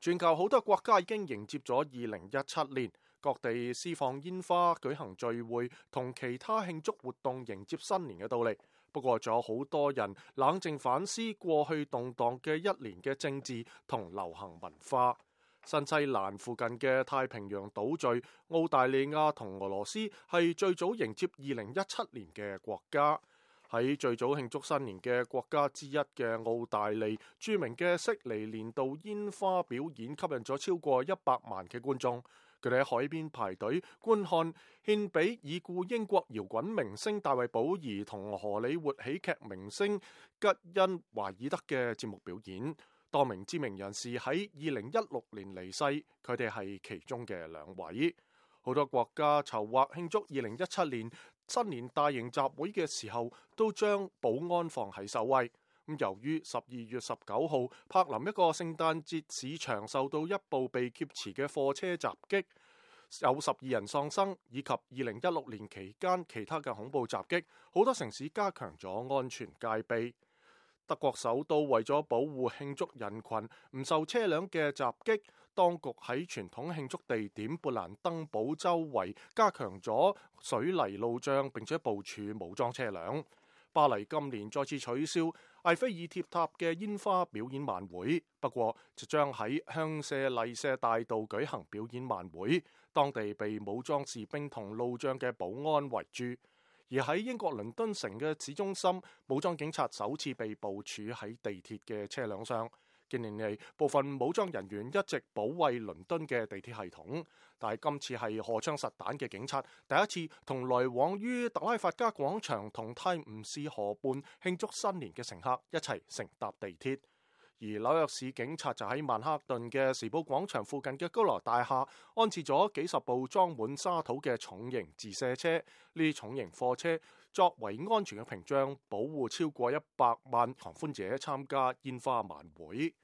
全球好多國家已經迎接咗2017年，各地施放煙花、舉行聚會同其他慶祝活動迎接新年嘅到嚟。不過仲有好多人冷靜反思過去動盪嘅一年嘅政治同流行文化。新西蘭附近嘅太平洋島嶼澳大利亞同俄羅斯係最早迎接2017年嘅國家。喺最早慶祝新年嘅國家之一嘅澳大利，著名嘅悉尼年度煙花表演吸引咗超過100萬嘅觀眾。佢哋喺海邊排隊觀看獻俾已故英國搖滾明星大衛保兒同荷里活喜劇明星吉恩華爾德嘅節目表演。多名知名人士喺2016年離世，佢哋係其中嘅2位。好多國家籌劃慶祝2017年新年大型集會嘅時候，都將保安放喺首位。由於12月19號柏林一個聖誕節市場受到一部被劫持嘅貨車襲擊，有12人喪生，以及2016年期間其他嘅恐怖襲擊，好多城市加強咗安全戒備。德國首都為咗保護慶祝人群唔受車輛嘅襲擊，當局喺傳統慶祝地點勃蘭登堡周圍加強咗水泥路障，並且部署武裝車輛。巴黎今年再次取消埃菲爾鐵塔嘅煙花表演晚會，不過就將喺香榭麗舍大道舉行表演晚會，當地被武裝士兵同路障嘅保安圍住。而喺英國倫敦城嘅市中心，武裝警察首次被部署喺地鐵嘅車輛上。近年嚟，部分武裝人員一直保衛倫敦嘅地鐵系統，但係今次係荷槍實彈嘅警察第一次同來往於特拉法加廣場同泰晤士河畔慶祝新年嘅乘客一齊乘搭地鐵。而紐約市警察就喺曼克頓嘅時報廣場附近嘅高樓大廈安置咗幾十部裝滿沙土嘅重型自卸車，呢啲重型貨車作為安全嘅屏障，保護超過100萬狂歡者參加煙花晚會。